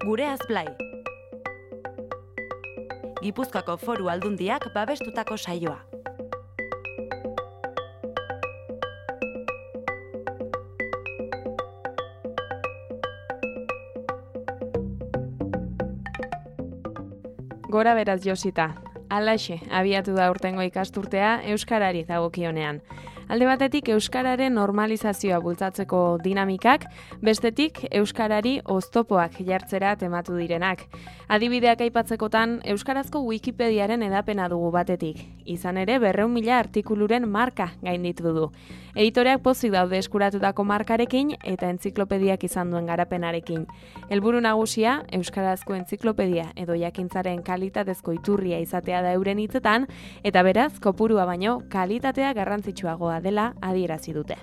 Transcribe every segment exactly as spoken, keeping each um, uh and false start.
Gureaz Blai. Gipuzkoako Foru Aldundiak babestutako saioa. Gora beraz Josita, alaxe abiatu da urtengo ikasturtea euskarari dagokionean. Alde batetik euskararen normalizazioa bultzatzeko dinamikak, bestetik euskarari oztopoak jartzera tematu direnak. Adibideak aipatzekotan euskarazko Wikipediaren edapena dugu batetik. Izan ere berrehun mila artikuluren marka gainditu du. Editoreak pozik daude eskuratutako markarekin eta entziklopediak izan duen garapenarekin. Helburu nagusia euskarazko entziklopedia edo jakintzaren kalitatezko iturria izatea da euren hitzetan, eta beraz kopurua baino kalitatea garrantzitsuagoa dela adierazi dute.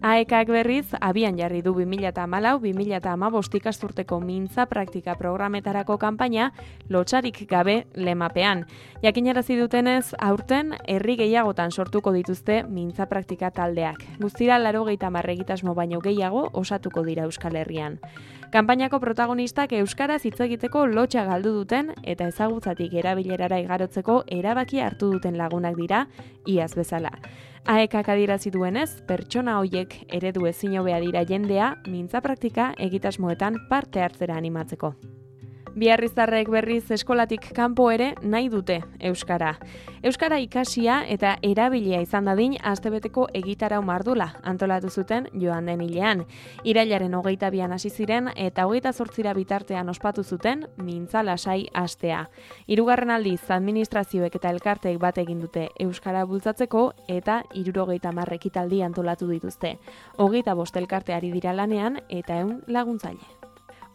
A E Kak berriz abian jarri du bi mila hamalau bi mila hamabost ikasturteko mintza praktika programetarako kanpaina lotsarik gabe lemapean. Jakinarazi dutenez, aurten herri gehiagotan sortuko dituzte mintza praktika taldeak. Guztira laurogeita hamar egitasmo baino gehiago osatuko dira Euskal Herrian. Kanpainako protagonistak euskaraz hitz egiteko lotsa galdu duten eta ezagutzatik erabilerara igarotzeko erabakia hartu duten lagunak dira, iaz bezala. A E Kak adierazi duenez, pertsona hoiek eredu ezin hobea dira jendea mintza praktika egitasmoetan parte hartzera animatzeko. Biarriztarrek berriz eskolatik kanpo ere nahi dute euskara. Euskara ikasia eta erabilia izan dadin astebeteko egitarau mardula antolatu zuten joan den hilean. Irailaren hogeita bian hasi ziren eta hogeita zortzira bitartean ospatu zuten mintza lasai astea. Hirugarren aldiz administrazioek eta elkarteek bat egin dute euskara bultzatzeko eta hirurogeita hamar ekitaldi antolatu dituzte. Hogeita bost elkarte ari dira lanean eta ehun laguntzaile.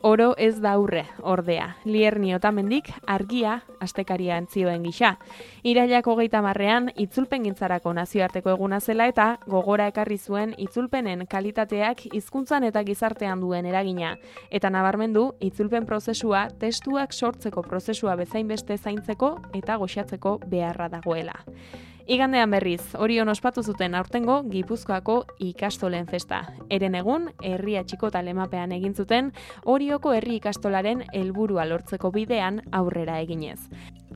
Oro ez da aurre, ordea. Lierni Otamendik argia astekaria entzioen gisa. Irailak hogeita hamarrean itzulpengintzarako nazioarteko eguna zela eta gogora ekarri zuen itzulpenen kalitateak hizkuntzan eta gizartean duen eragina. Eta nabarmendu itzulpen prozesua testuak sortzeko prozesua bezainbeste zaintzeko eta goxatzeko beharra dagoela. Igandean berriz, Orion ospatu zuten aurtengo Gipuzkoako ikastolen festa. Eren egun, herria txikota lemapean egin zuten Orioko herri ikastolaren helburua lortzeko bidean aurrera eginez.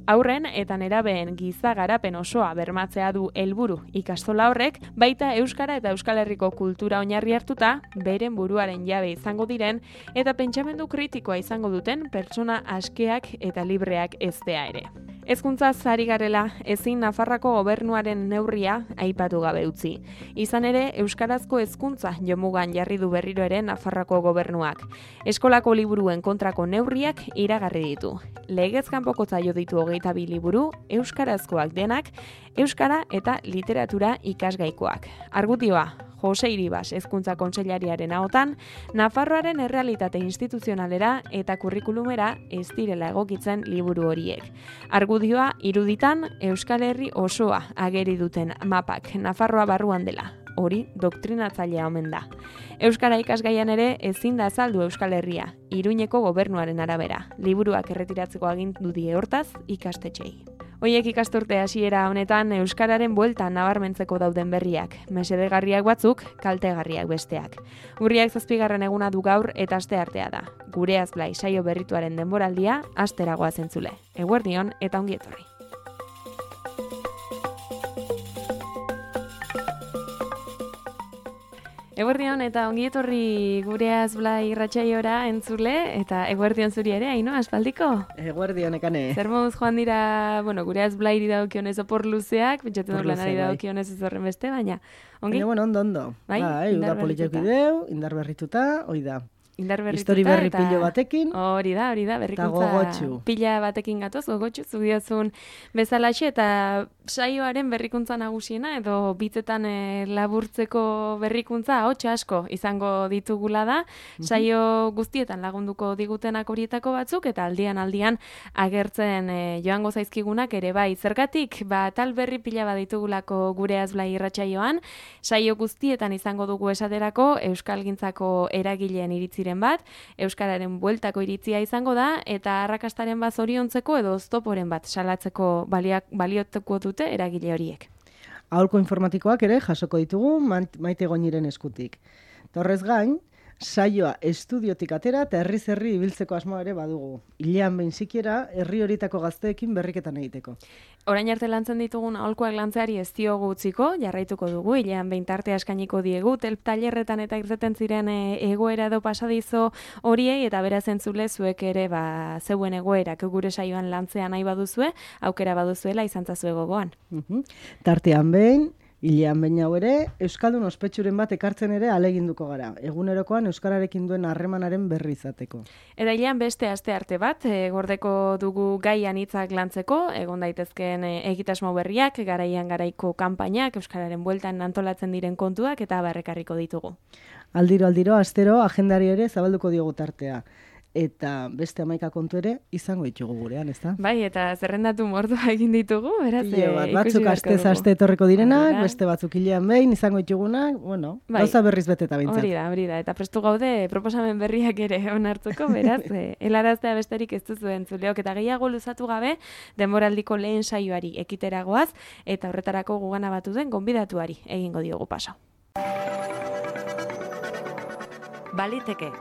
Aurren eta nerabeen giza garapen osoa bermatzea du helburu ikastola horrek, baita euskara eta Euskal Herriko kultura oinarri hartuta, beren buruaren jabe izango diren eta pentsamendu kritikoa izango duten pertsona askeak eta libreak eztea ere. Hezkuntzaz ari garela, ezin Nafarroako gobernuaren neurria aipatu gabe utzi. Izan ere, euskarazko hezkuntza jomugan jarri du berriro ere Nafarroako gobernuak. Eskolako liburuen kontrako neurriak iragarri ditu. Legez kanpoko zaio ditu hogeita bi liburu, euskarazkoak denak, euskara eta literatura ikasgaikoak. Argudioa, Jose Iribas hezkuntza kontseilariaren ahotan, Nafarroaren errealitate instituzionalera eta kurrikulumera ez direla egokitzen liburu horiek. Argudioa iruditan Euskal Herri osoa ageri duten mapak Nafarroa barruan dela. Hori doktrinatzailea omen da. Euskara ikasgaian ere ezin da azaldu Euskal Herria, Iruñeko gobernuaren arabera. Liburuak erretiratzeko agindu die hortaz ikastetxei. Hoiek ikasturte hasiera honetan euskararen bueltan nabarmentzeko dauden berriak, mesedegarriak batzuk, kaltegarriak besteak. Urriak zazpigarren eguna du gaur eta asteartea da. Gureaz Blai saio berrituaren denboraldia asteragoa zentzule. Eguerdion eta ongi etorri. Eguerdion eta ongi etorri Gureaz Blai irratsaiora entzule eta eguerdion zuri ere, Aino, aspaldiko? Eguerdion ekane. Zer moduz joan dira, bueno, Gureaz Blairi daukionez opor luzeak, pentsatzen dut lanari daukionez ez horren beste, baina ongi? Baina, bueno, ondo, ondo. Bai, bai, indar politik bideu, indar berrituta, hoi da. Indar berrituta Histori berri eta pilo batekin. Hori da, hori da, berrikuntza gogotsu. Pila batekin gatoz, gogotsu, zudiozun bezalaxe, eta saioaren berrikuntza nagusiena, edo bitzetan e, laburtzeko berrikuntza, hotxa asko izango ditugula da, saio guztietan lagunduko digutenak horietako batzuk, eta aldian aldian agertzen e, joango zaizkigunak ere bai. Zergatik, ba, tal berri pila bat ditugulako Gureaz Blai irratsaioan, saio guztietan izango dugu esaterako Euskalgintzako eragileen iritziren bat, euskararen bueltako iritzia izango da, eta arrakastaren bat zoriontzeko edo oztoporen bat salatzeko baliak, baliotuko dute eragile horiek. Aholko informatikoak ere jasoko ditugu Maite Goñiren eskutik. Torrez gain, saioa estudiotik atera eta herriz herri ibiltzeko asmoa ere badugu. Hilean behin sikiera herri horietako gazteekin berriketan egiteko. Orain arte lantzen ditugun aholkuak lantzeari ez diogu utziko, jarraituko dugu, hilean behin tartea eskainiko diegu, telp tailerretan eta irteten ziren e, egoera edo pasadizo horiei, eta beraz entzule zuek ere ba, zeuen egoerak gure saioan lantzea nahi baduzue, aukera baduzuela izan zazue gogoan. Uhum. Tartean behin, hilean behin hau ere, Euskaldun ospetsuren bat ekartzen ere aleginduko gara. Egunerokoan Euskararekin duen harremanaren berri izateko. Eta hilean beste aste arte bat, e, gordeko dugu gaian hitzak lantzeko, egon daitezkeen e, egitasmo berriak, garaian garaiko kanpainak, Euskararen bueltan antolatzen diren kontuak eta barrekarriko ditugu. Aldiro, aldiro, astero, agendari ere zabalduko diogu tartea. Eta beste hamaika kontu ere izango ditugu gurean, ezta? Bai, eta zerrendatu mordua egin ditugu, beraz, Ile bat, e, batzuk astez aste etorriko direnak, Horrela. Beste batzuk hilean behin izango ditugunak, bueno, bai. Gauza berriz beteta bintzat. Hori da, hori da, eta prestu gaude proposamen berriak ere onartuko, beraz, e, helaraztea besterik ez duzu entzuleok, eta gehiago luzatu gabe, denboraldiko lehen saioari ekiteragoaz, eta horretarako gugana batu den gonbidatuari egingo diogu paso. Baliteke.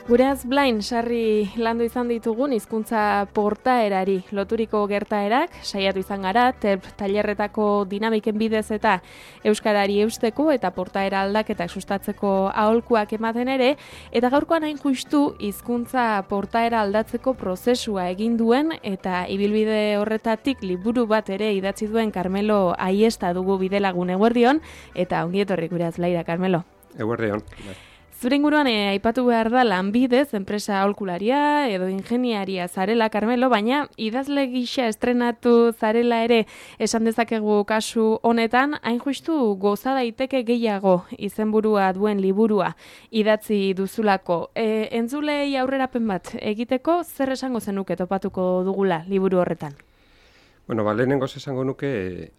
Gureaz Blain sarri landu izan ditugun hizkuntza portaerari loturiko gertaerak, saiatu izan gara, telp tailerretako dinamiken bidez eta euskarari eusteko eta portaera aldaketak sustatzeko aholkuak ematen ere, eta gaurkoan hain justu hizkuntza portaera aldatzeko prozesua egin duen eta ibilbide horretatik liburu bat ere idatzi duen Carmelo Aiesta dugu bidelagun eguerdion, eta ongi etorri Gureaz Blaira, Carmelo. Eguerdion. Zure inguruan e, aipatu behar da lanbidez, enpresa aholkularia edo ingeniaria zarela, Carmelo, baina idazle gisa estrenatu zarela ere esan dezakegu kasu honetan, hain justu goza daiteke gehiago izenburua duen liburua idatzi duzulako. E, entzulei aurrerapen bat egiteko zer esango zenuke topatuko dugula liburu horretan? Bueno, ba, lehenengoz esango nuke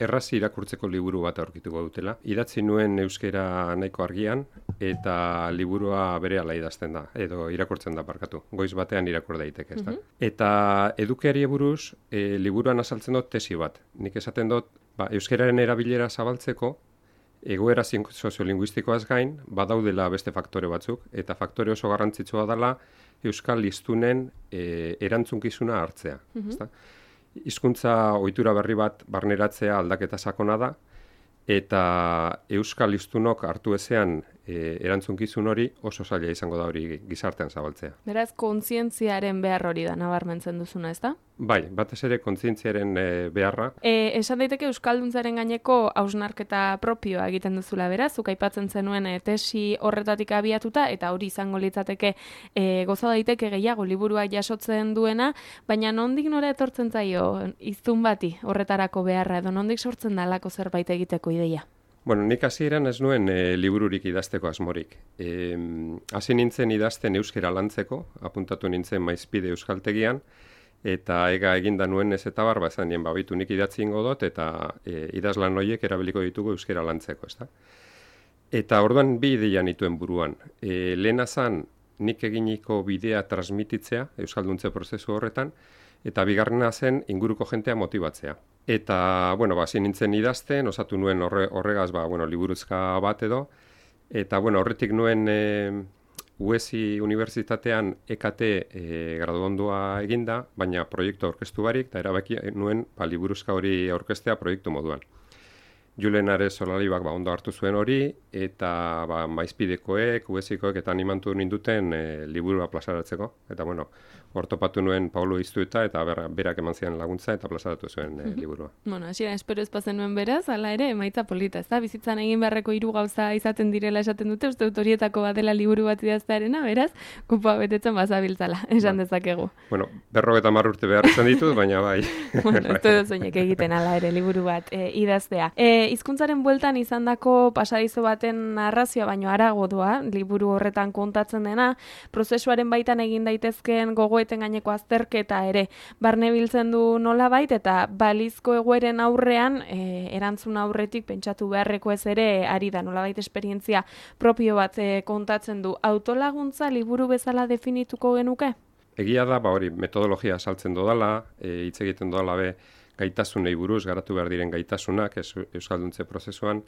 erraz irakurtzeko liburu bat aurkituko dutela. Idatzi nuen euskera nahiko argian eta liburua berehala idazten da, edo irakurtzen da barkatu. Goiz batean irakur daiteke, ezta. Mm-hmm. Eta edukiari buruz e, liburuan azaltzen dut tesi bat. Nik esaten dut, ba, euskararen erabilera zabaltzeko egoera soziolinguistikoaz gain badaudela beste faktore batzuk, eta faktore oso garrantzitsua dela euskal hiztunen e, erantzunkizuna hartzea, mm-hmm. ezta. Hizkuntza ohitura berri bat barneratzea aldaketa sakona da, eta euskal hiztunok hartu ezean e, erantzunkizun hori oso zaila izango da hori gizartean zabaltzea. Beraz, kontzientziaren behar hori da nabarmentzen duzuna, ezta? Bai, batez ere kontzientziaren e, beharra. E, esan daiteke euskalduntzaren gaineko hausnarketa propioa egiten duzula, beraz, zuk aipatzen zenuen e, tesi horretatik abiatuta, eta hori izango litzateke e, goza daiteke gehiago liburuak jasotzen duena, baina nondik nora etortzen zaio hiztun bati horretarako beharra, edo nondik sortzen da halako zerbait egiteko ideia? Bueno, nik hasieran ez nuen e, libururik idazteko asmorik. E, hasi nintzen idazten euskera lantzeko, apuntatu nintzen Maizpide euskaltegian, eta ega eginda nuen ez eta barba esan nien, babitu nik idatzi ingo dut, eta e, idazlan horiek erabiliko ditugu euskera lantzeko, ezta? Eta orduan bi ideia nituen buruan. E, lehena zan, nik eginiko bidea transmititzea, euskalduntze prozesu horretan, eta bigarrena zen inguruko jentea motibatzea. Eta, bueno, ba, zin nintzen idazten, osatu nuen horre, horregaz, ba, bueno, liburuzka bat edo, eta, bueno, horretik nuen e, U E S I Unibertsitatean E K T e, graduondua eginda, baina proiektu aurkeztu barik, eta erabaki nuen ba, liburuzka hori aurkeztea proiektu moduan. Julen Ares Solalibak ba, ondo hartu zuen hori, eta ba, Maizpidekoek, U E S Ikoek eta animantu ninduten e, liburua plazaratzeko. Eta, bueno, hortopatu nuen Paulo Iztueta eta ber, berak eman zian laguntza eta plazaratu zuen e, liburua. Bueno, hasiera espero ez pasen nuen beraz, hala ere, emaitza polita, ez da? Bizitzan egin beharreko hiru gauza izaten direla esaten dute, uste dut horietako bat dela liburu bat idaztearena, beraz, kupoa betetzen bazabiltzala, esan ba. dezakegu. Bueno, berrogeta hamar urte behar izan ditut, baina bai. Bueno, ez dut zoinek egiten hala ere liburu bat e, idaztea. E, hizkuntzaren bueltan izandako pasadizo baten narrazioa baino harago doa, liburu horretan kontatzen dena, prozesuaren baitan egin daitezkeen gogoeten gaineko azterketa ere barne biltzen du nolabait, eta balizko egoeren aurrean e, erantzun aurretik pentsatu beharreko ez ere ari da nolabait esperientzia propio bat e, kontatzen du. Autolaguntza liburu bezala definituko genuke? egia da, ba hori, metodologia saltzen dodala, e, hitz egiten dodala be, gaitasunei buruz, garatu behar diren gaitasunak, ez, euskalduntze prozesuan,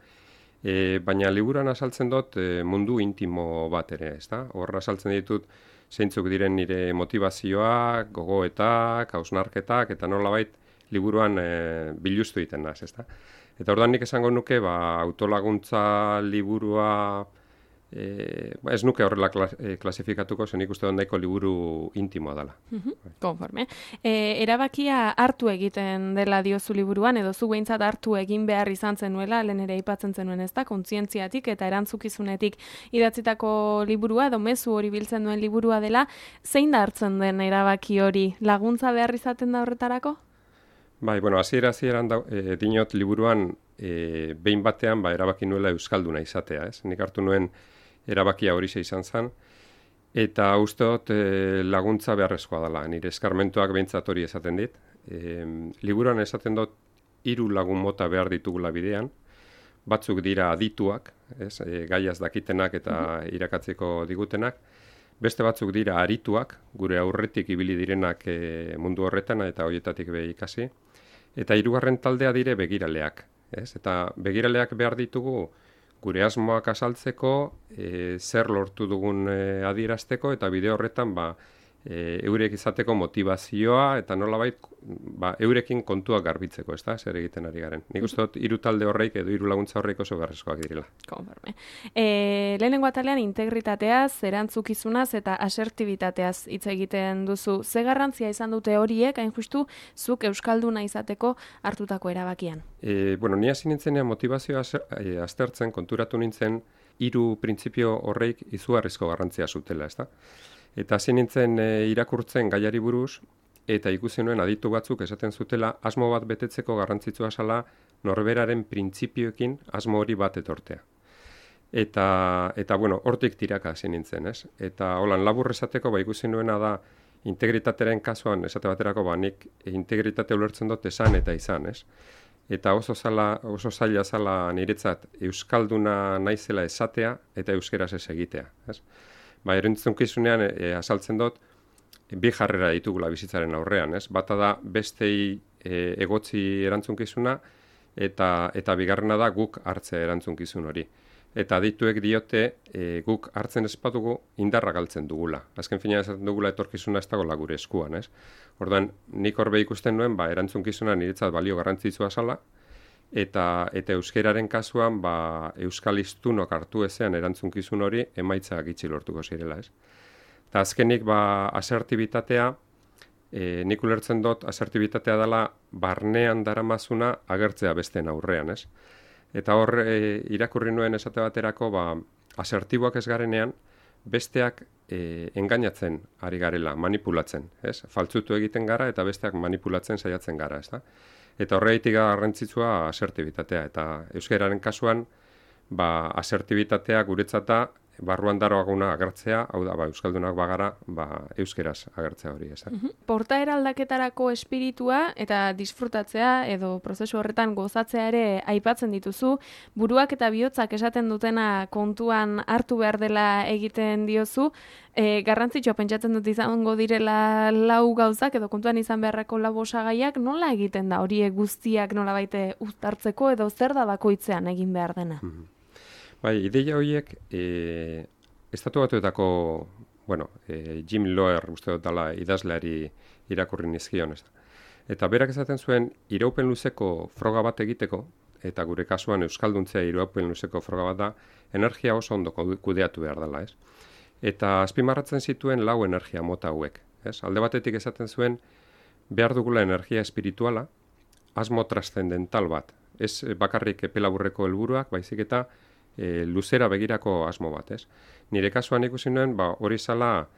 e, baina liburuan azaltzen dut e, mundu intimo bat ere, ez da? Horra azaltzen ditut, zeintzuk diren nire motivazioak, gogoetak, hausnarketak, eta nolabait liburuan e, biluztu egiten naz, ez da? Eta orduan nik esango nuke, ba, autolaguntza liburua, e, ba, ez nuke horrela klas, e, klasifikatuko, zen nik uste dut nahiko liburu intimoa dela. Mm-hmm. Konforme. E, erabakia hartu egiten dela diozu liburuan, edo zu behintzat hartu egin behar izan zenuela, lehen ere aipatzen zenuen ez da, kontzientziatik eta erantzukizunetik idatzitako liburua, edo mezu hori biltzen duen liburua dela, zein da hartzen den erabaki hori, laguntza behar izaten da horretarako? Bai, bueno, hasiera hasieran da, e, dinot liburuan e, behin batean ba, erabaki nuela euskalduna izatea, ez? Nik hartu nuen erabakia hori izan zen, eta uste dut e, laguntza beharrezkoa dela, nire eskarmentuak behintzat hori esaten dit. E, liburuan esaten dut hiru lagun mota behar ditugula bidean, batzuk dira adituak, ez? E, gaiaz dakitenak eta irakatzeko digutenak, beste batzuk dira arituak, gure aurretik ibili direnak e, mundu horretan eta horietatik be ikasi, eta hirugarren taldea dire begiraleak, ez? Eta begiraleak behar ditugu gure asmoak azaltzeko, e, zer lortu dugun e, adierazteko, eta bide horretan ba, e, eurek izateko motivazioa, eta nolabait ba, eurekin kontuak garbitzeko, ez da, zer egiten ari garen. Nik uste dut hiru talde horreik edo hiru laguntza horreik oso beharrezkoak direla. Konforme. E, lehenengo atalean integritateaz, erantzukizunaz eta asertibitateaz hitz egiten duzu. Ze garrantzia izan dute horiek, hain justu, zuk euskalduna izateko hartutako erabakian? E, bueno, ni hasi nintzenean motivazioa e, aztertzen, konturatu nintzen, hiru printzipio horreik izugarrizko garrantzia zutela, ez da? Eta hasi nintzen e, irakurtzen gaiari buruz, eta ikusi nuen aditu batzuk esaten zutela asmo bat betetzeko garrantzitsua zela norberaren printzipioekin asmo hori bat etortea. Eta, eta bueno, hortik tiraka hasi nintzen, ez? Eta holan labur esateko ba ikusi nuena da integritatearen kasuan esate baterako ba nik integritate ulertzen dut esan eta izan, ez? Eta oso zala, oso zaila zala niretzat euskalduna naizela esatea eta euskeraz ez egitea, ez? Ba, erantzunkizunean e, azaltzen dut bi jarrera ditugula bizitzaren aurrean, ez? Bata da bestei e, egotzi erantzunkizuna eta eta bigarrena da guk hartzea erantzunkizun hori. Eta adituek diote e, guk hartzen ez badugu indarra galtzen dugula. Azken finean esaten dugula etorkizuna ez dagoela gure eskuan, ez? Orduan, nik horbe ikusten nuen, ba, erantzunkizuna niretzat balio garrantzitsua zala, eta eta euskeraren kasuan ba euskal hiztunok hartu ezean erantzunkizun hori emaitza gitxi lortuko zirela, ez? Eta azkenik ba asertibitatea, e, nik ulertzen dut asertibitatea dela barnean daramazuna agertzea besteen aurrean, ez? Eta hor e, irakurri nuen esate baterako ba asertiboak ez garenean besteak e, engainatzen ari garela, manipulatzen, ez? Faltzutu egiten gara eta besteak manipulatzen saiatzen gara, ez da? Eta horreitik garrantzitsua asertibitatea. Eta euskararen kasuan, ba, asertibitatea guretzata barruan daroaguna agertzea, hau da, ba, euskaldunak bagara, ba, euskeraz agertzea hori, ez da. Uh-huh. Portaera aldaketarako espiritua eta disfrutatzea edo prozesu horretan gozatzea ere aipatzen dituzu, buruak eta bihotzak esaten dutena kontuan hartu behar dela egiten diozu, e, garrantzitsua pentsatzen dut izango direla lau gauzak edo kontuan izan beharrako lau osagaiak, nola egiten da horiek guztiak nola baite uztartzeko edo zer da bakoitzean egin behar dena? Uh-huh. Bai, ideia horiek, e, estatu batuetako, bueno, e, Jim Loer uste dut dela idazleari irakurri nizkion, ez da. Eta berak esaten zuen, iraupen luzeko froga bat egiteko, eta gure kasuan euskalduntzea iraupen luzeko froga bat da, energia oso ondo kudeatu behar dela, ez? Eta azpimarratzen zituen lau energia mota hauek, ez? Alde batetik esaten zuen, behar dugula energia espirituala, asmo transcendental bat, ez bakarrik epelaburreko helburuak, baizik eta E, luzera begirako asmo bat, ez? Nire kasuan ikusi nuen, ba, hori zala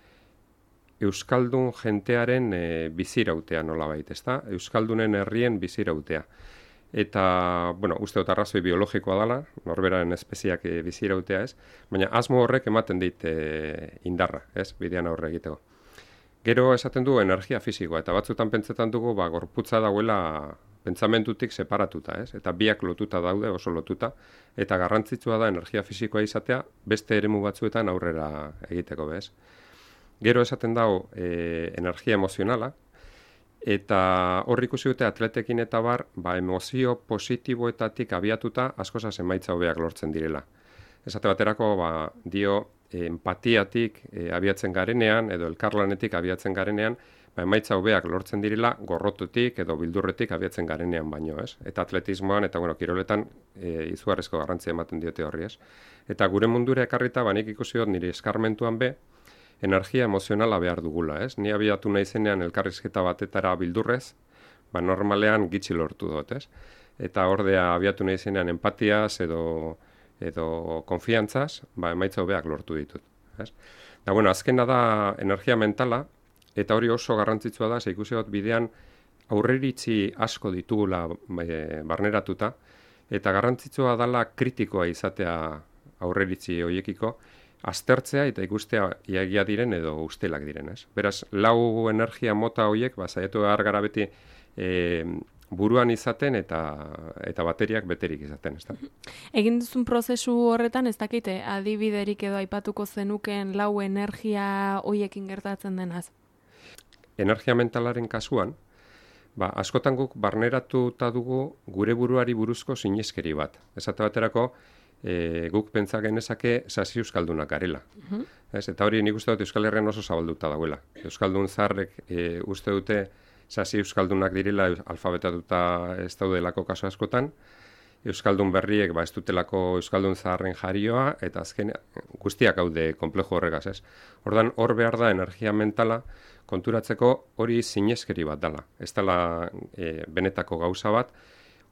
euskaldun jentearen e, bizirautea nolabait, ezta? Euskaldunen herrien bizirautea. Eta, bueno, uste dut arrazoi biologikoa dela, norberaren espeziak e, bizirautea, ez? Baina asmo horrek ematen dit e, indarra, ez? Bidean aurre egiteko. Gero esaten du energia fisikoa, eta batzutan pentsetan dugu, ba, gorputza dauela pentsamentutik separatuta, ez? Eta biak lotuta daude, oso lotuta, eta garrantzitsua da energia fisikoa izatea beste eremu batzuetan aurrera egiteko, bez? Gero esaten dago e, energia emozionala, eta hor ikusi dute atletekin eta bar, ba, emozio positiboetatik abiatuta askozaz emaitza hobeak lortzen direla. Esate baterako, ba, dio, empatiatik e, abiatzen garenean, edo elkarlanetik abiatzen garenean, ba, emaitza hobeak lortzen direla gorrotutik edo bildurretik abiatzen garenean baino, ez? Eta atletismoan eta bueno, kiroletan e, izugarrizko garrantzia ematen diote horri, ez? Eta gure mundura ekarrita, ba, nik ikusi dut nire eskarmentuan be, energia emozionala behar dugula, ez? Ni abiatu naizenean elkarrizketa batetara bildurrez, ba, normalean gitxi lortu dut, ez? Eta ordea abiatu naizenean empatiaz edo edo konfiantzaz, ba, emaitza hobeak lortu ditut, ez? Da, bueno, azkena da energia mentala, eta hori oso garrantzitsua da, ze ikusi dut bidean aurreiritzi asko ditugula e, barneratuta, eta garrantzitsua dela kritikoa izatea aurreiritzi horiekiko, aztertzea eta ikustea iagia diren edo ustelak diren, ez? Beraz, lau energia mota horiek, ba, saiatu behar gara beti e, buruan izaten eta eta bateriak beterik izaten, ezta? Egin duzun prozesu horretan ez dakite adibiderik edo aipatuko zenuken lau energia hoiekin gertatzen denaz. Energia mentalaren kasuan, ba, askotan guk barneratuta dugu gure buruari buruzko sineskeri bat. Esate baterako, e, guk pentsa genezake sasi euskaldunak garela. Uh-huh. Ez, eta hori nik uste dut Euskal Herrian oso zabalduta dagoela. Euskaldun zaharrek e, uste dute sasi euskaldunak direla alfabetatuta ez daudelako kasu askotan, euskaldun berriek ba ez dutelako euskaldun zaharren jarioa, eta azken guztiak haude konplejo horregaz, ez. Ordan hor behar da energia mentala konturatzeko hori sineskeri bat dela. Ez dela e, benetako gauza bat,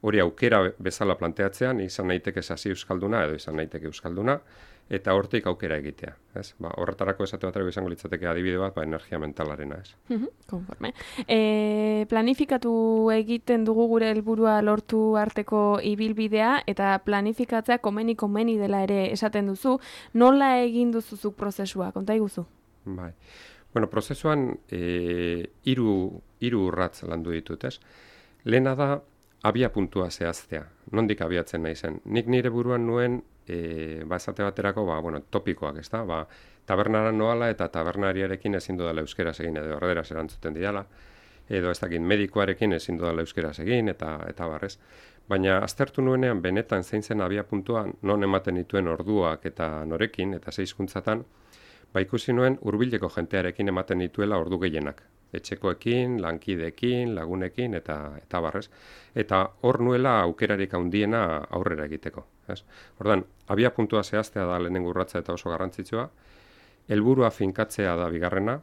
hori aukera bezala planteatzean, izan naiteke sasi euskalduna edo izan naiteke euskalduna, eta hortik aukera egitea, ez? Ba, horretarako esate baterako izango litzateke adibide bat, ba, energia mentalarena, ez? Uh-huh, konforme. E, planifikatu egiten dugu gure helburua lortu arteko ibilbidea, eta planifikatzea komeni komeni dela ere esaten duzu. Nola egin duzuzuk prozesua? Konta iguzu? Bai. Bueno, prozesuan e, hiru hiru urratz landu ditut, ez? Lehena da abia puntua zehaztea. Nondik abiatzen naizen? Nik nire buruan nuen E, ba, esate baterako, ba, bueno, topikoak, ez da? Ba, tabernara noala eta tabernariarekin ezin dudala euskeraz egin, edo erderaz erantzuten didala, edo ez dakit medikoarekin ezin dudala euskeraz egin, eta eta barrez. Baina aztertu nuenean benetan zein zen abia puntua, non ematen dituen orduak eta norekin, eta ze hizkuntzatan, ba, ikusi nuen hurbileko jentearekin ematen dituela ordu gehienak. Etxekoekin, lankideekin, lagunekin, eta eta barrez. Eta hor nuela aukerarik handiena aurrera egiteko. Ez? Ordan, abia puntua zehaztea da lehenengo urratsa eta oso garrantzitsua. Helburua finkatzea da bigarrena.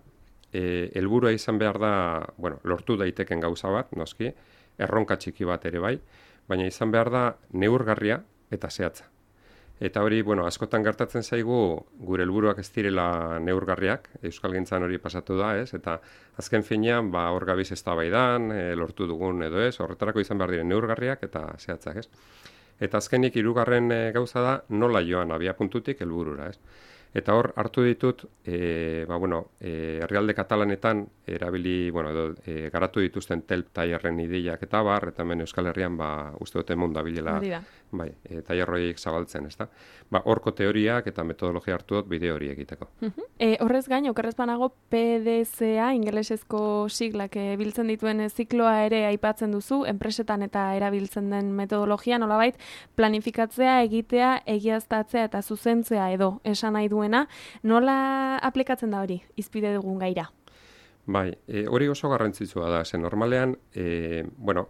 E, helburua izan behar da, bueno, lortu daiteken gauza bat, noski, erronka txiki bat ere bai, baina izan behar da neurgarria eta zehatza. Eta hori, bueno, askotan gertatzen zaigu gure helburuak ez direla neurgarriak, euskalgintzan hori pasatu da, ez? Eta azken finean, ba, hor gabiz eztabaidan, e, lortu dugun edo ez, horretarako izan behar diren neurgarriak eta zehatzak, ez? Eta azkenik hirugarren e, gauza da nola joan abia puntutik helburura, ez? Eta hor hartu ditut, e, ba, bueno, e, herrialde katalanetan erabili, bueno, edo, e, garatu dituzten telp tailerren ideiak eta bar, eta hemen Euskal Herrian, ba, uste dute mundu dabilela, bai, e, tailerroiek zabaltzen, ezta? Ba, horko teoriak eta metodologia hartu dut bideo hori egiteko. Uh-huh. E, horrez gain, okerrez banago P D C A, ingelesezko siglak e, biltzen dituen zikloa ere aipatzen duzu, enpresetan eta erabiltzen den metodologia, nolabait, planifikatzea, egitea, egiaztatzea eta zuzentzea edo esan nahi duen. Nola aplikatzen da hori, izpide dugun gaira? Bai, e, hori oso garrantzitsua da, zen normalean, e, bueno,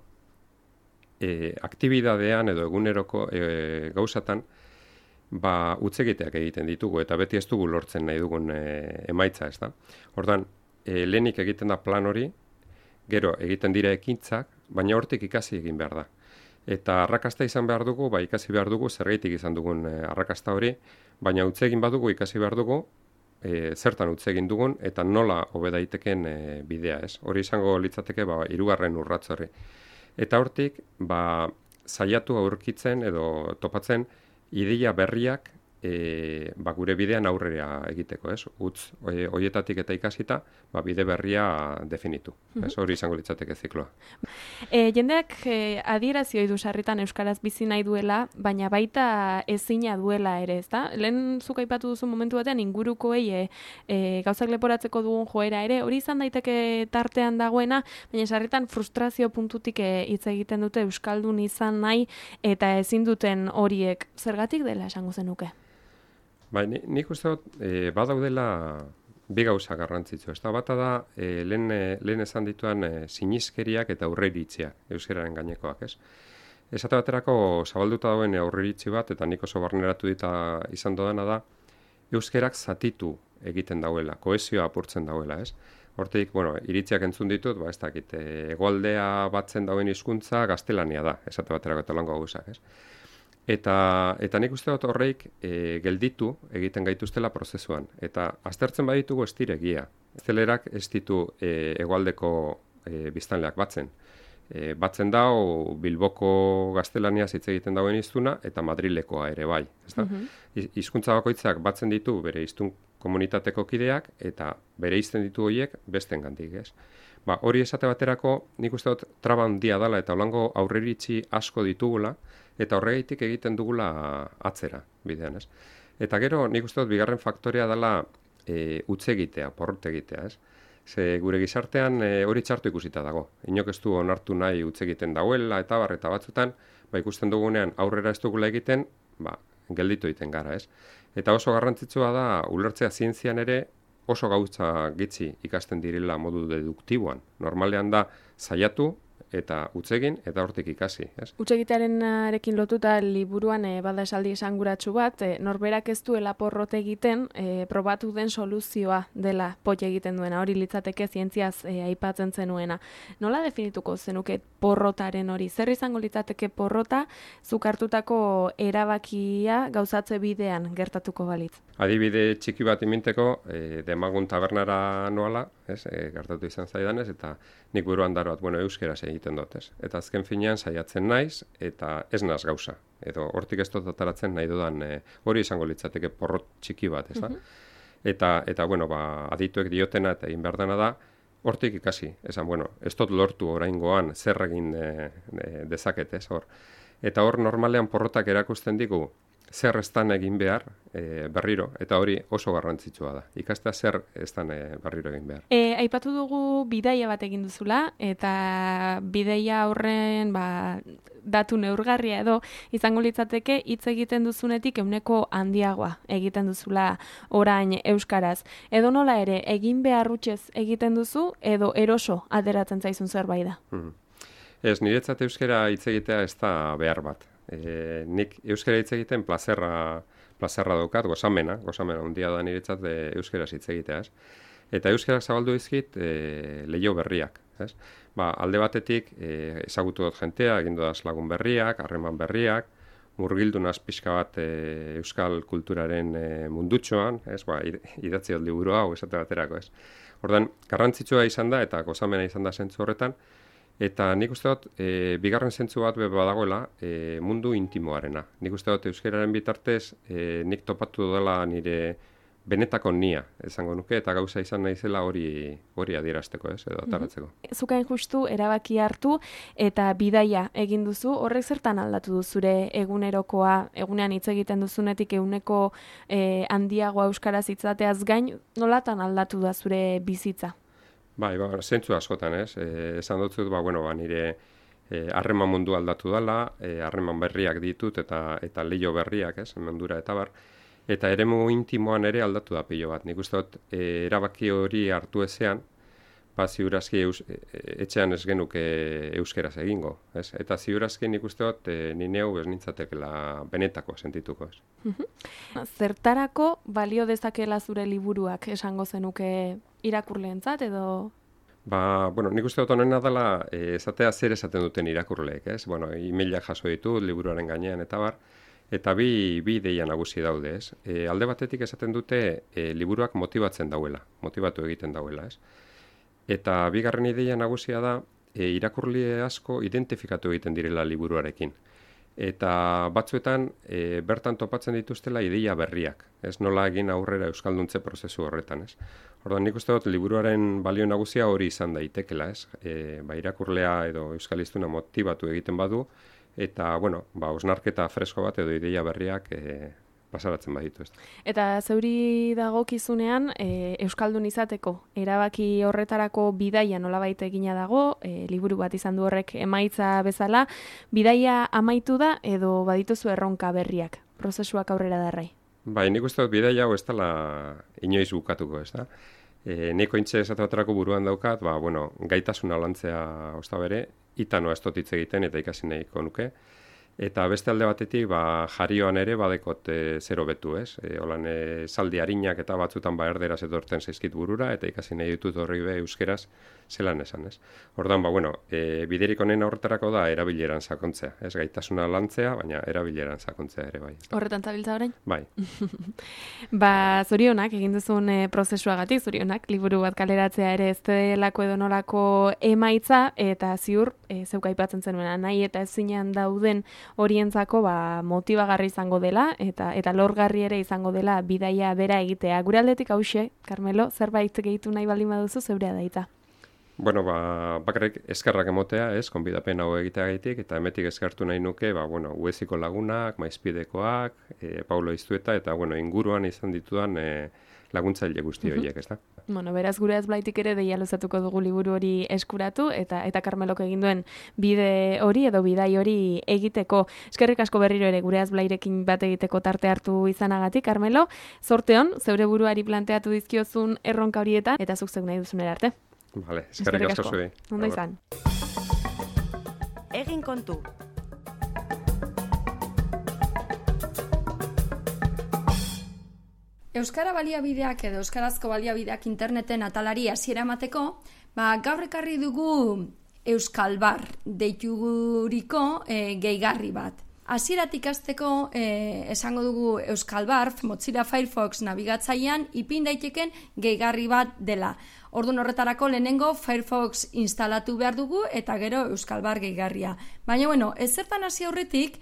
e, aktibidadean edo eguneroko e, gauzatan, ba, utzegiteak egiten ditugu, eta beti ez dugu lortzen nahi dugun e, emaitza, ez da? Ordan, e, lehenik egiten da plan hori, gero egiten dira ekintzak, baina hortik ikasi egin behar da. Eta arrakasta izan behar dugu, ba, ikasi behar dugu, zergaitik izan dugun e, arrakasta hori, baina utzegin badugu ikasi behar dugu, e, zertan utzegin dugun, eta nola hobe daiteken e, bidea, ez? Hori izango litzateke, ba, hirugarren urratz hori. Eta hortik, ba, saiatu aurkitzen edo topatzen ideia berriak e, ba, gure bidean aurrera egiteko, ez? Utz e, hoietatik eta ikasita, ba, bide berria definitu. Ez hori izango litzateke zikloa. E, jendeak e, adierazio du sarritan euskaraz bizi nahi duela, baina baita ezina duela ere, ezta? Lehen zuk aipatu duzu momentu batean ingurukoei e, e, gauzak leporatzeko dugun joera ere, hori izan daiteke tartean dagoena, baina sarritan frustrazio puntutik e, hitz egiten dute euskaldun izan nahi eta ezin duten horiek. Zergatik dela esango zenuke? Bai, ni, nik uste dut, e, badaudela bi gauza garrantzitsu. Ez da, bata da, e, lehen, e, lehen esan dituan e, sinizkeriak eta aurreiritziak, euskararen gainekoak, ez? Esate baterako zabalduta dauen aurreiritzi bat, eta nik oso barneratu dita izan dodana da, euskerak zatitu egiten dauela, kohesioa apurtzen dauela, ez? Hortik, bueno, iritziak entzun ditut, ba, ez dakit, e, hegoaldea batzen dauen hizkuntza gaztelania da, esate baterako eta lango gauzak, ez? Eta, eta nik uste dut horreik e, gelditu egiten gaituztela prozesuan. Eta aztertzen baditugu ez diregia. Zelerak ez ditu e, hegoaldeko e, biztanleak batzen. E, batzen dau Bilboko gaztelaniaz hitz egiten dauen hiztuna eta Madrilekoa ere bai. Ezta? Mm-hmm. Hizkuntza bakoitzak batzen ditu bere hiztun komunitateko kideak eta bere izten ditu horiek bestengandik, ez? Ba, hori esate baterako nik uste dut traba handia dela eta holango aurreiritzi asko ditugula eta horregaitik egiten dugula atzera bidean, ez? Eta gero nik uste dut bigarren faktorea dela e, utz egitea, porrot egitea, ez? Ze gure gizartean e, hori txartu ikusita dago. Inok ez du onartu nahi utz egiten dauela eta bar eta batzutan, ba, ikusten dugunean aurrera ez dugula egiten, ba, gelditu egiten gara, ez? Eta oso garrantzitsua da ulertzea zientzian ere oso gauza gitzi ikasten direla modu deduktiboan. Normalean da saiatu eta utzegin eta hortik ikasi, ez? Utzegitearenarekin lotuta liburuan e, bada esaldi esanguratsu bat, e, norberak ez duela porrot egiten, e, probatu den soluzioa dela pot egiten duena, hori litzateke zientziaz e, aipatzen zenuena. Nola definituko zenuke porrotaren hori? Zer izango litzateke porrota zuk hartutako erabakia gauzatze bidean gertatuko balitz? Adibide txiki bat iminteko, e, Demagun tabernara noala, ez, e, gertatu izan zaidanez, eta nik buruan daro bat, bueno, euskeraz egiten dut, ez. Eta azken finean saiatzen naiz, eta ez naz gauza. Edo hortik ez dut ataratzen nahi dudan, e, hori izango litzateke porrot txiki bat, ez da? Mm-hmm. Eta, eta, bueno, ba, adituek diotena eta egin behar dena da, hortik ikasi. Esan, bueno, ez dut lortu oraingoan zer egin e, e, dezaket, ez, hor. Eta hor normalean porrotak erakusten digu, zer estan egin behar e, berriro, eta hori oso garrantzitsua da. Ikastea zer estan e, berriro egin behar. E, aipatu dugu bidaia bat egin duzula, eta bidaia horren ba, datu neurgarria edo izango litzateke hitz egiten duzunetik ehuneko handiagoa egiten duzula orain euskaraz. Edo nola ere, egin behar hutsez egiten duzu, edo eroso ateratzen zaizun zerbait da. Hmm. Ez, niretzat euskara hitz egitea ez da behar bat. E, nik euskara hitz egiten plazerra, plazerra daukat, gozamena, gozamena handia da niretzat e, euskaraz hitz egitea, ez? Eta euskarak zabaldu dizkit e, leio berriak, ez? Ba, alde batetik e, ezagutu dut jentea, egin dudaz lagun berriak, harreman berriak, murgildu naz pixka bat e, euskal kulturaren e, mundutxoan, ez? Ba, idatzi dut liburu hau esate baterako, ez? Ordan garrantzitsua izan da eta gozamena izan da zentzu horretan. Eta nik uste dut, e, bigarren zentzu bat badagoela e, mundu intimoarena. Nik uste dut, euskararen bitartez, e, nik topatu dela nire benetako nia, esango nuke, eta gauza izan naizela hori hori adierazteko, ez, edo ataratzeko. Mm-hmm. Zukain justu erabaki hartu eta bidaia egin duzu, horrek zertan aldatu du zure egunerokoa, egunean hitz egiten duzunetik ehuneko e, handiagoa euskaraz hitzateaz gain, nolatan aldatu da zure bizitza? Bai, ba, zentzu askotan, ez? E, esan dut zut, ba, bueno, ba, nire harreman e, mundu aldatu dela, harreman e, berriak ditut eta eta leio berriak, ez? Mundura eta bar. Eta eremu intimoan ere aldatu da pilo bat. Nik uste dut, e, erabaki hori hartu ezean, ba, ziurazki eus, e, etxean ez genuke euskeraz egingo, ez? Eta ziurazki nik uste dut, e, nineu ez nintzatekela benetako sentituko, ez? Zertarako balio dezakela zure liburuak esango zenuke irakurleentzat edo? Ba, bueno, nik uste dut honena dela e, esatea zer esaten duten irakurleek, ez? Bueno, emailak jaso ditut liburuaren gainean eta bar, eta bi, bi ideia nagusi daude, ez? E, alde batetik esaten dute e, liburuak motibatzen dauela, motibatu egiten dauela, ez? Eta bigarren ideia nagusia da e, irakurle asko identifikatu egiten direla liburuarekin. eta batzuetan e, bertan topatzen dituztela ideia berriak, ez nola egin aurrera euskalduntze prozesu horretan, ez. Orduan, nik uste dut liburuaren balio nagusia hori izan daitekela, ez. E, ba, irakurlea edo euskaliztuna motibatu egiten badu, eta, bueno, ba, osnarketa fresko bat edo ideia berriak e, pasaratzen baditu, ez. Eta zeuri dagokizunean, e, euskaldun izateko erabaki horretarako bidaia nolabait egina dago, e, liburu bat izan du horrek emaitza bezala, bidaia amaitu da edo badituzu erronka berriak, prozesuak aurrera darrai? Bai, nik uste dut bidaia hau ez dela inoiz bukatuko, ez da. E, niko intxe esateaterako buruan daukat, ba, bueno, gaitasuna lantzea osta bere, itanoa ez dut hitz egiten eta ikasi nahiko nuke. Eta beste alde batetik, ba, jarioan ere badekot e, zero betu, ez? E, holan, e, saldi harinak eta batzutan ba erderaz etortzen zaizkit burura, eta ikasi nahi ditut horri be euskeraz zelan esan, ez? Ordan, ba, bueno, e, biderik honen horretarako da erabileran sakontzea, ez? Gaitasuna lantzea, baina erabileran sakontzea ere, bai. Horretan zabiltza orain? Bai. Ba, zorionak, egin duzun e, prozesuagatik, zorionak, liburu bat kaleratzea ere ez delako edo nolako emaitza, eta ziur, e, zeuk aipatzen zenuen, nahi eta ezinean dauden horientzako ba, motibagarri izango dela eta eta lorgarri ere izango dela bidaia bera egitea. Gure aldetik hauxe, Carmelo, zerbait gehitu nahi baldin baduzu zeurea daita. Bueno, ba, bakarrik eskerrak emotea, ez, konbidapen hau egiteagaitik, eta emetik eskertu nahi nuke, ba, bueno, Ueziko lagunak, Maizpidekoak, e, Paulo Iztueta, eta, bueno, inguruan izan ditudan e, laguntzaile guzti horiek, ez da? Bueno, beraz gure azblaitik ere deia luzatuko dugu liburu hori eskuratu eta eta Carmelok egin duen bide hori edo bidai hori egiteko. Eskerrik asko berriro ere gure azblairekin bat egiteko tarte hartu izanagatik, Carmelo. Zorte on, zeure buruari planteatu dizkiozun erronka horietan eta zuk zeuk nahi duzunera arte. Vale, eskerrik asko zuei. Ondo izan. Egin kontu. Euskara baliabideak edo euskarazko baliabideak interneten atalari hasiera emateko, ba, gaur ekarri dugu Euskalbar deituguriko e, gehigarri bat. Hasieratik hasteko e, esango dugu Euskalbar Mozilla Firefox nabigatzailean ipin daiteken gehigarri bat dela. Orduan horretarako lehenengo Firefox instalatu behar dugu eta gero Euskalbar gehigarria. Baina bueno, ezertan hasi aurretik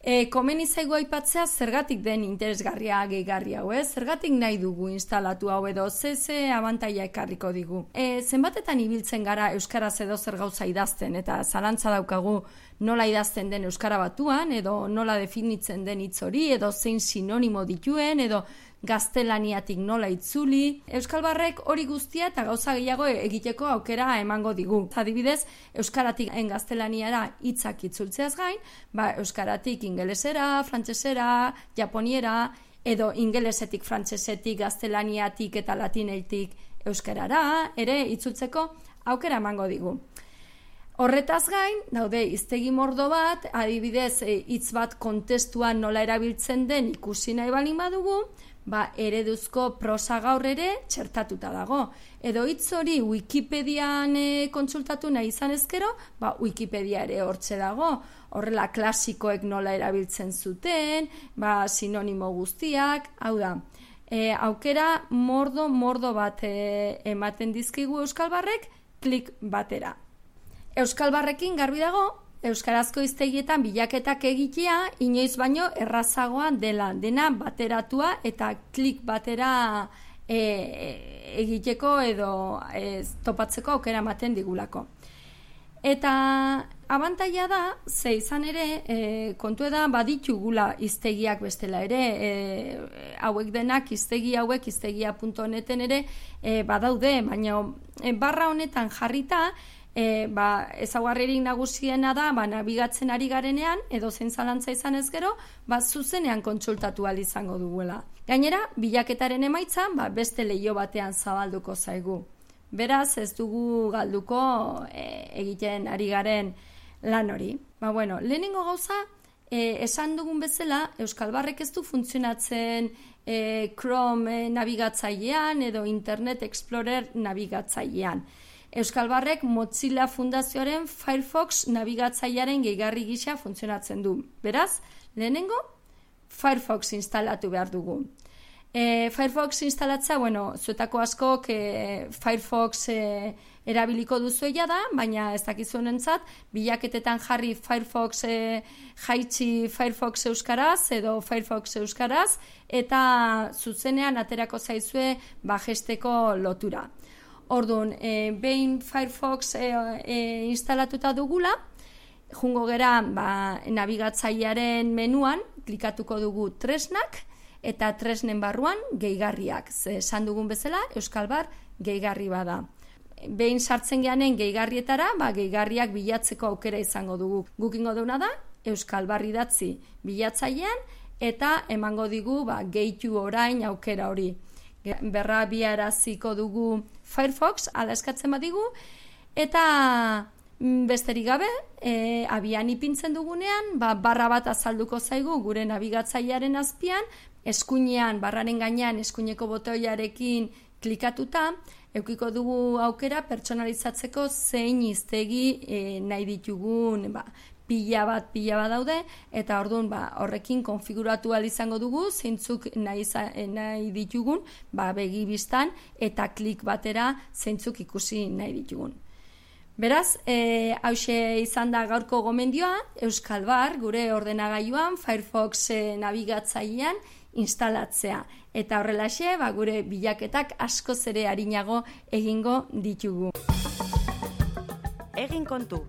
E, komeni zaigu aipatzea zergatik den interesgarria gehigarri hau, ez? Zergatik nahi dugu instalatu hau edo ze ze abantaila ekarriko digu. E, zenbatetan ibiltzen gara euskaraz edo zer gauza idazten eta zalantza daukagu nola idazten den euskara batuan edo nola definitzen den hitz hori edo zein sinonimo dituen edo gaztelaniatik nola itzuli. Euskalbarrek hori guztia eta gauza gehiago egiteko aukera emango digu. Adibidez, euskaratik en gaztelaniara hitzak itzultzeaz gain, ba, euskaratik ingelesera, frantsesera, japoniera, edo ingelesetik, frantsesetik, gaztelaniatik eta latinetik euskarara, ere itzultzeko aukera emango digu. Horretaz gain, daude hiztegi mordo bat, adibidez hitz bat kontestuan nola erabiltzen den ikusi nahi balin badugu, ba, ereduzko prosa gaur ere txertatuta dago. Edo hitz hori Wikipedian e, kontsultatu nahi izan ezkero, ba, Wikipedia ere hortxe dago. Horrela klasikoek nola erabiltzen zuten, ba, sinonimo guztiak, hau da. E, aukera mordo, mordo bat e, ematen dizkigu Euskalbarrek klik batera. Euskalbarrekin garbi dago, euskarazko hiztegietan bilaketak egitea inoiz baino errazagoa dela, dena bateratua eta klik batera e, egiteko edo e, topatzeko aukera ematen digulako. Eta abantaila da, ze izan ere, e, kontu da baditugula hiztegiak bestela ere, e, hauek denak hiztegi hauek hiztegia puntu neten ere e, badaude, baina e, barra honetan jarrita, E, ba, ezaugarririk nagusiena da, ba, nabigatzen ari garenean, edo zein zalantza izan ez gero, ba, zuzenean kontsultatu ahal izango duguela. Gainera, bilaketaren emaitza, ba, beste leiho batean zabalduko zaigu. Beraz, ez dugu galduko e, egiten ari garen lan hori. Ba, bueno, lehenengo gauza, e, esan dugun bezala, Euskalbarrek ez du funtzionatzen e, Chrome e, nabigatzailean edo Internet Explorer nabigatzailean. Euskalbarrek Mozilla Fundazioaren Firefox nabigatzailearen gehigarri gisa funtzionatzen du. Beraz, lehenengo Firefox instalatu behar dugu. E, Firefox instalatzea, bueno, zuetako askok e, Firefox e, erabiliko duzuela da, baina ez dakizunentzat, bilaketetan jarri Firefox e, jaitsi Firefox euskaraz edo Firefox euskaraz, eta zuzenean aterako zaizue bajesteko lotura. Orduan, e, behin Firefox e, e, instalatuta dugula, jungo gera ba, nabigatzailearen menuan, klikatuko dugu tresnak, eta tresnen barruan gehigarriak. Ze esan dugun bezala, Euskal Bar gehigarri bada. Behin sartzen geanen gehigarrietara, ba, gehigarriak bilatzeko aukera izango dugu. Gukingo duna da, Euskal Bar idatzi bilatzailean, eta emango digu ba, gehitu orain aukera hori. Berra biaraziko dugu Firefox, ala eskatzen badigu, eta besterik gabe, e, abian ipintzen dugunean, ba, barra bat azalduko zaigu gure nabigatzailearen azpian, eskuinean, barraren gainean, eskuineko botoiarekin klikatuta, eukiko dugu aukera pertsonalizatzeko zein hiztegi e, nahi ditugun, ba, pila bat, pila bat daude, eta orduan ba, horrekin konfiguratu ahal izango dugu, zeintzuk nahi, nahi ditugun, ba, begi bistan, eta klik batera zeintzuk ikusi nahi ditugun. Beraz, e, hauxe izan da gaurko gomendioa, Euskal Bar, gure ordenagailuan, Firefox e, nabigatzailean instalatzea. Eta horrelaxe, ba, gure bilaketak askoz ere arinago egingo ditugu. Egin kontu.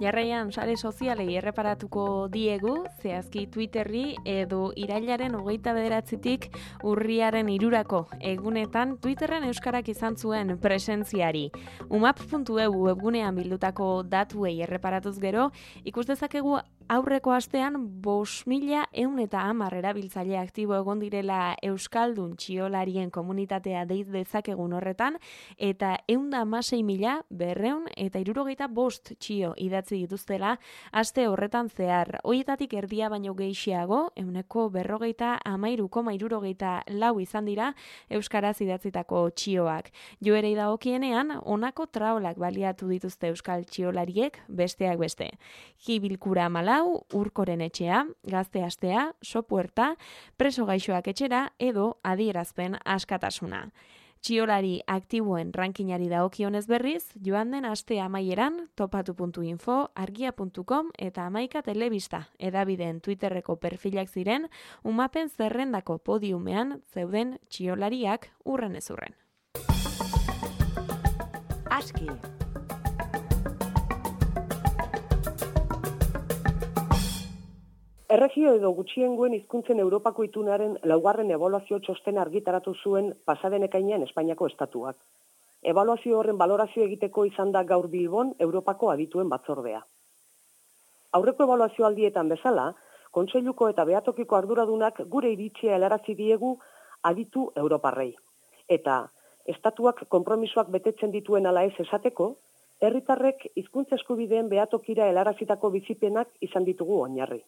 Jarraian sare sozialei erreparatuko diegu, zehazki Twitterri edo irailaren hogeita bederatzitik urriaren hirurako egunetan Twitterren euskarak izan zuen presentziari. umap puntu e u webgunean bildutako datuei erreparatuz gero, ikus dezakegu aurreko astean bost mila ehun eta hamar erabiltzaile aktibo egon direla euskaldun txiolarien komunitatea deiz dezakegun horretan, eta ehun eta hamasei mila berrehun eta hirurogeita bost txio idatzi dituztela aste horretan zehar. Hoietatik erdia baino gehiago, ehuneko berrogeita hamairu koma hirurogeita lau izan dira euskaraz idatzitako txioak. Joerei dagokienean, honako traolak baliatu dituzte euskal txiolariek besteak beste. Jibilkura Malau, Urkoren etxea, Gazte astea, Sopuerta, Preso gaixoak etxera edo Adierazpen askatasuna. Txiolari aktiboen rankinari dagokionez berriz, joan den aste amaieran, topatu puntu info, argia puntu com eta Hamaika Telebista edabideen Twitterreko perfilak ziren, umapen zerrendako podiumean zeuden txiolariak urren ez urren. Aski. Erregio edo gutxiengoen hizkuntzen Europako itunaren laugarren ebaluazio txosten argitaratu zuen pasaden ekainean Espainiako estatuak. Ebaluazio horren balorazio egiteko izan da gaur Bilbon Europako adituen batzordea. Aurreko ebaluazio aldietan bezala, Kontseiluko eta Behatokiko arduradunak gure iritzia helarazi diegu aditu europarrei. Eta estatuak konpromisoak betetzen dituen ala ez esateko, herritarrek hizkuntza eskubideen behatokira helarazitako bizipenak izan ditugu oinarri.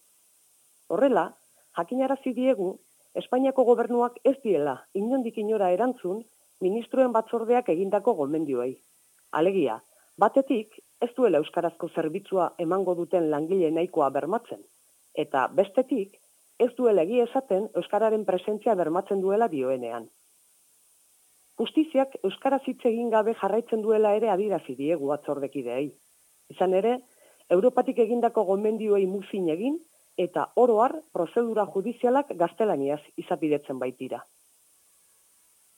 Horrela, jakinarazi diegu, Espainiako gobernuak ez diela inondik inora erantzun ministroen batzordeak egindako gomendioei. Alegia, batetik ez duela euskarazko zerbitzua emango duten langile nahikoa bermatzen, eta bestetik ez duela egia esaten euskararen presentzia bermatzen duela dioenean. Justiziak euskaraz hitz egin gabe jarraitzen duela ere adierazi diegu batzordekideei. Izan ere, Europatik egindako gomendioei muzin egin, eta oro har prozedura judizialak gaztelaniaz izapidetzen baitira.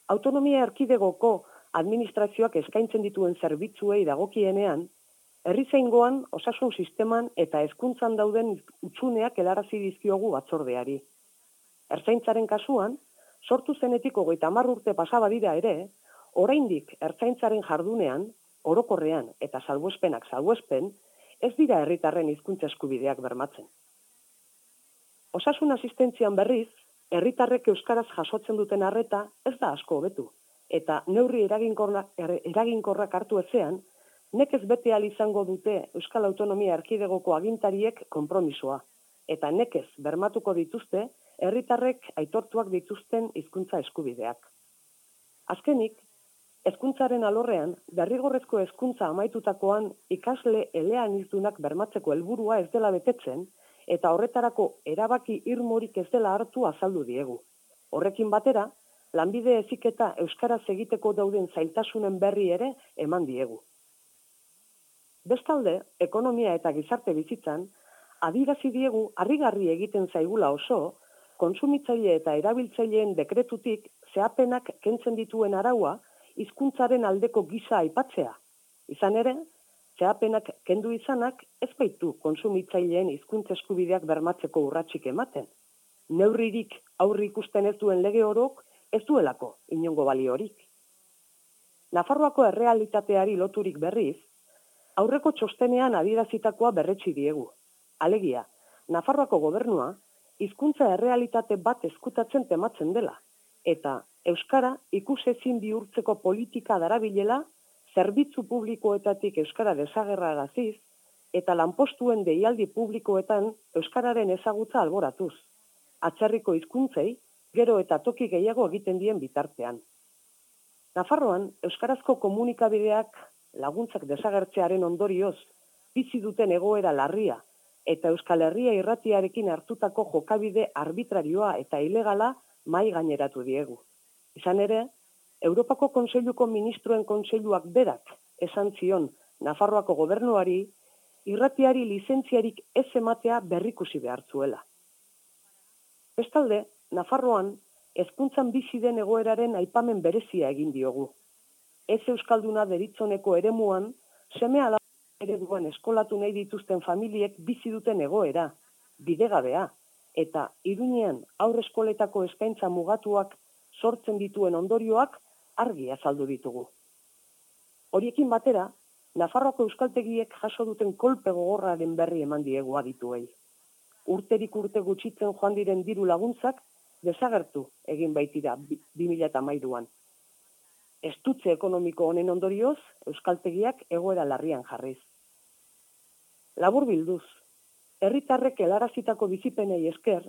Autonomia erkidegoko administrazioak eskaintzen dituen zerbitzuei dagokienean, herrizaingoan, osasun sisteman eta hezkuntzan dauden utzuneak helarazi dizkiogu batzordeari. Ertzaintzaren kasuan, sortu zenetik hogeita hamar urte pasa badira ere, oraindik ertzaintzaren jardunean, orokorrean eta salbuespenak salbuespen, ez dira herritarren hizkuntza eskubideak bermatzen. Osasun asistentzian berriz, herritarrek euskaraz jasotzen duten arreta ez da asko hobetu, eta neurri eraginkorrak, eraginkorrak hartu ezean, nekez bete ahal izango dute Euskal Autonomia Erkidegoko agintariek konpromisoa, eta nekez bermatuko dituzte herritarrek aitortuak dituzten hizkuntza eskubideak. Azkenik, hezkuntzaren alorrean, derrigorrezko hezkuntza amaitutakoan ikasle eleanizdunak bermatzeko helburua ez dela betetzen, eta horretarako erabaki irmorik ez dela hartu azaldu diegu. Horrekin batera, lanbide heziketa euskaraz egiteko dauden zailtasunen berri ere eman diegu. Bestalde, ekonomia eta gizarte bizitzan, adierazi diegu harrigarri egiten zaigula oso, kontsumitzaile eta erabiltzaileen dekretutik zehapenak kentzen dituen araua hizkuntzaren aldeko gisa aipatzea. Izan ere, zehapenak kendu izanak ez baitu kontsumitzaileen hizkuntza eskubideak bermatzeko urratsik ematen. Neurririk aurri ikusten ez duen lege orok ez duelako inongo baliorik. Nafarroako errealitateari loturik berriz, aurreko txostenean adierazitakoa berretsi diegu. Alegia, Nafarroako gobernua hizkuntza errealitate bat ezkutatzen tematzen dela, eta euskara ikusezin bihurtzeko politika darabilela, zerbitzu publikoetatik euskara desagerraraziz, eta lanpostuen deialdi publikoetan euskararen ezagutza alboratuz. Atzerriko hizkuntzei, gero eta toki gehiago egiten dien bitartean. Nafarroan, euskarazko komunikabideak laguntzak desagertzearen ondorioz, bizi duten egoera larria, eta Euskal Herria irratiarekin hartutako jokabide arbitrarioa eta ilegala mai gaineratu diegu. Izan ere, Europako Kontseiluko Ministroen Kontseiluak berak esan zion Nafarroako gobernuari irratiari lizentziarik ez ematea berrikusi behar zuela. Bestalde, Nafarroan hezkuntzan bizi den egoeraren aipamen berezia egin diogu. Ez euskalduna deritzoneko eremuan, seme alaba ereduan eskolatu nahi dituzten familiek bizi duten egoera, bidegabea, eta Iruñean aurreskoletako eskaintza mugatuak sortzen dituen ondorioak argi azaldu ditugu. Horiekin batera, Nafarroako euskaltegiek jaso duten kolpe gogorraren berri eman diegu adituei. Urterik urte gutxitzen joan diren diru laguntzak desagertu egin baitira bi mila hamairuan. Estutze ekonomiko honen ondorioz, euskaltegiak egoera larrian jarriz. Labur bilduz, herritarrek helarazitako bizipenei esker,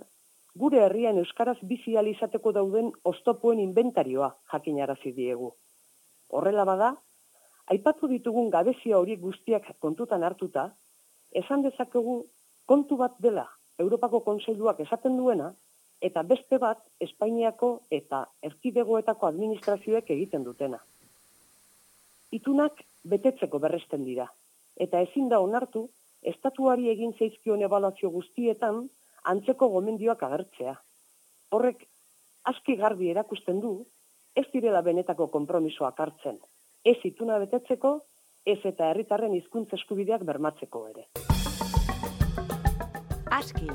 gure herrian euskaraz bizi ahal izateko dauden oztopoen inventarioa jakinarazi diegu. Horrela bada, aipatu ditugun gabezia horiek guztiak kontutan hartuta, esan dezakegu kontu bat dela Europako Kontseiluak esaten duena, eta beste bat Espainiako eta erkidegoetako administrazioek egiten dutena. Itunak betetzeko berresten dira, eta ezin da onartu, estatuari egin zaizkion ebaluazio guztietan antzeko gomendioak agertzea. Horrek aski garbi erakusten du, ez direla benetako konpromisoak hartzen, ez ituna betetzeko, ez eta herritarren hizkuntza eskubideak bermatzeko ere. Aski.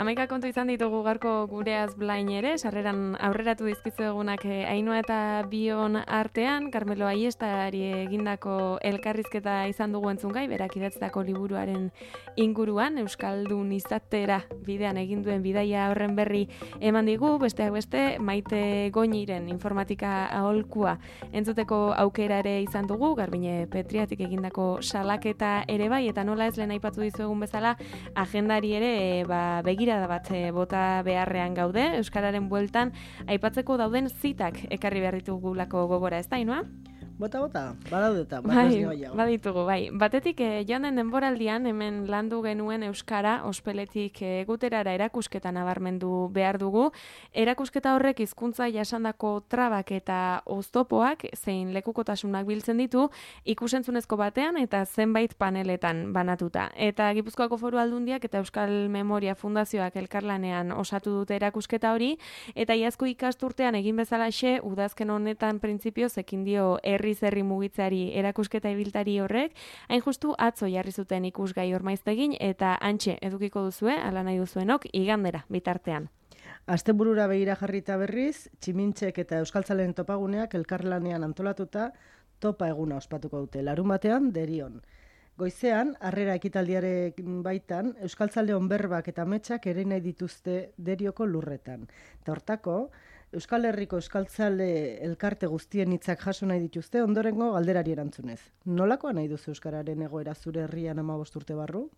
Hamaika kontu izan ditugu gaurko gureaz blain ere, sarreran aurreratu dizkizu egunak Ainhoa eta Bion artean, Carmelo Aiestari egindako elkarrizketa izan dugu entzungai, berak idatzitako liburuaren inguruan, Euskaldun izatera bidean egin duen bidaia horren berri eman digu, besteak beste, Maite Goñiren informatika aholkua entzuteko aukera ere izan dugu, Garbine Petriatik egindako salaketa ere bai, eta nola ez lehen aipatu dizuegun bezala, agendari ere ba, begira da bat bota beharrean gaude, euskararen bueltan aipatzeko dauden zitak ekarri behar ditugulako gogora, ez da, Ainhoa? Bota, bota, badaudeta, bai, baditugu, bai. Batetik, eh, joan den denboraldian, hemen landu genuen euskara, ospeletik eh, guterara erakusketa nabarmendu behar dugu. Erakusketa horrek hizkuntza jasandako trabak eta oztopoak, zein lekukotasunak biltzen ditu, ikusentzunezko batean eta zenbait paneletan banatuta. Eta Gipuzkoako Foru Aldundiak eta Euskal Memoria Fundazioak elkarlanean osatu dute erakusketa hori, eta iazko ikasturtean egin bezalaxe, udazken honetan printzipioz ekin dio herri herri mugitzeari erakusketa ibiltari horrek, hain justu atzo jarri zuten ikusgai ormaiztegin eta antxe edukiko duzue, ala nahi duzuenok, igandera bitartean. Asteburura begira jarrita berriz, Tximintxek eta Euskaltzalen topaguneak elkarlanean antolatuta topa eguna ospatuko dute, larun batean derion. Goizean, harrera ekitaldiaren baitan, euskaltzaleon berbak eta ametsak ere nahi dituzte Derioko lurretan. Eta hortako, Euskal Herriko euskaltzale elkarte guztien hitzak jaso nahi dituzte ondorengo galderari erantzunez. Nolakoa nahi duzu euskararen egoera zure herrian hamabost urte barru?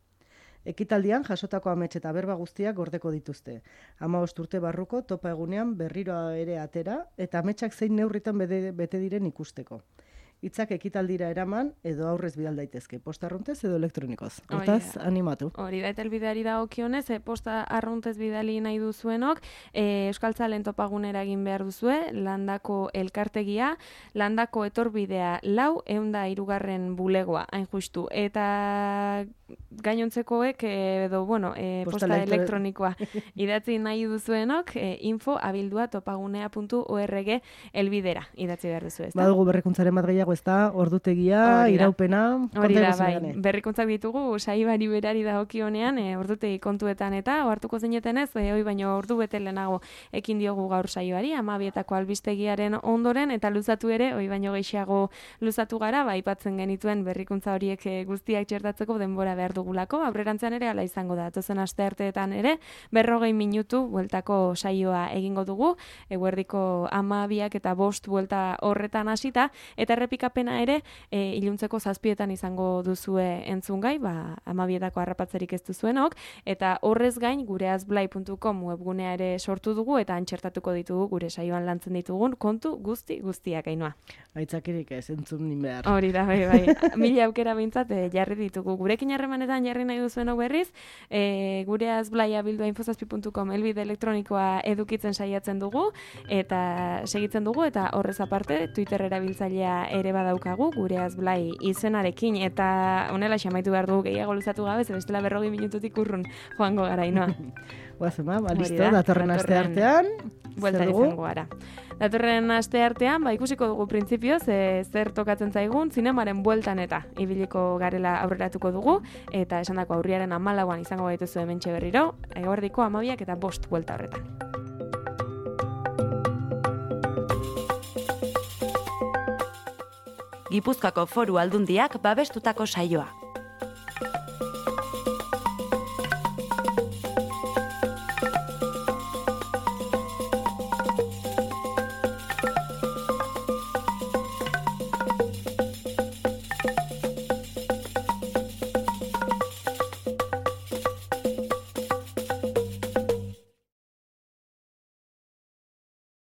Ekitaldian jasotako amets eta berba guztiak gordeko dituzte. hamabost urte barruko topa egunean berriro ere atera eta ametsak zein neurritan bete, bete diren ikusteko. Hitzak ekitaldira eraman edo aurrez bidal daitezke, posta arruntez edo elektronikoz. Hortaz, animatu. Hori da, eta elbideari dagokionez, e, posta arruntez bidali nahi duzuenok, e, euskaltzalen topagunera egin behar duzue, landako elkartegia, landako etorbidea lau, eunda irugarren bulegoa, hain justu. Eta gainontzekoek, edo, bueno, e, posta, posta elektronikoa idatzi nahi duzuenok, e, info abildua topagunea puntu org elbidera idatzi behar duzu, ez da? Badugu berrikuntzaren bat gehiago, ez da, ordutegia, iraupena, hori da, bai, berrikuntzak ditugu, saibari berari dagokionean, e, ordutegi kontuetan eta, ohartuko zinetenez, e, hoi baino ordu bete lehenago ekin diogu gaur saibari, hamabietako albistegiaren ondoren, eta luzatu ere, hoi baino gehiago luzatu gara, ba, aipatzen genituen berrikuntza horiek e, guztiak txertatzeko denbora behar dugulako, aurrerantzean ere ala izango da, tozen astearteetan ere, berrogei minutu bueltako saioa egingo dugu, eguerdiko hamabiak eta bost buelta horretan hasita, eta errepikapena ere, e, iluntzeko zazpietan izango duzue entzungai, ba, hamabietako harrapatzerik ez duzuenok, eta horrez gain, gure azblai puntu com webgunea ere sortu dugu, eta antxertatuko ditugu gure saioan lantzen ditugun kontu guzti guztiak Ainhoa. Aitzakirik ez entzun nin behar. Hori da, bai, bai. Mila aukera behintzat e, jarri ditugu. Gurekin harremanetan jarri nahi duzuenok berriz, e, gure azblaia bildua infozazpi puntu com elbide elektronikoa edukitzen saiatzen dugu, eta segitzen dugu, eta horrez aparte, Twitter erabiltzailea ere badaukagu, gure azblai izenarekin, eta honela xamaitu behar dugu gehiago luzatu gabe, ze bestela berrogi minututik urrun joango gara, Ainhoa. Guazema, ba, listo, datorren aste artean, buelta izango gara. Datorren aste artean, ba, ikusiko dugu printzipioz, e, zer tokatzen zaigun, zinemaren bueltan eta ibiliko garela aurreratuko dugu, eta esandako aurriaren hamalauan izango gaituzu hementxe berriro, eguerdiko hamabiak eta bost buelta horretan. Gipuzkoako Foru Aldundiak babestutako saioa.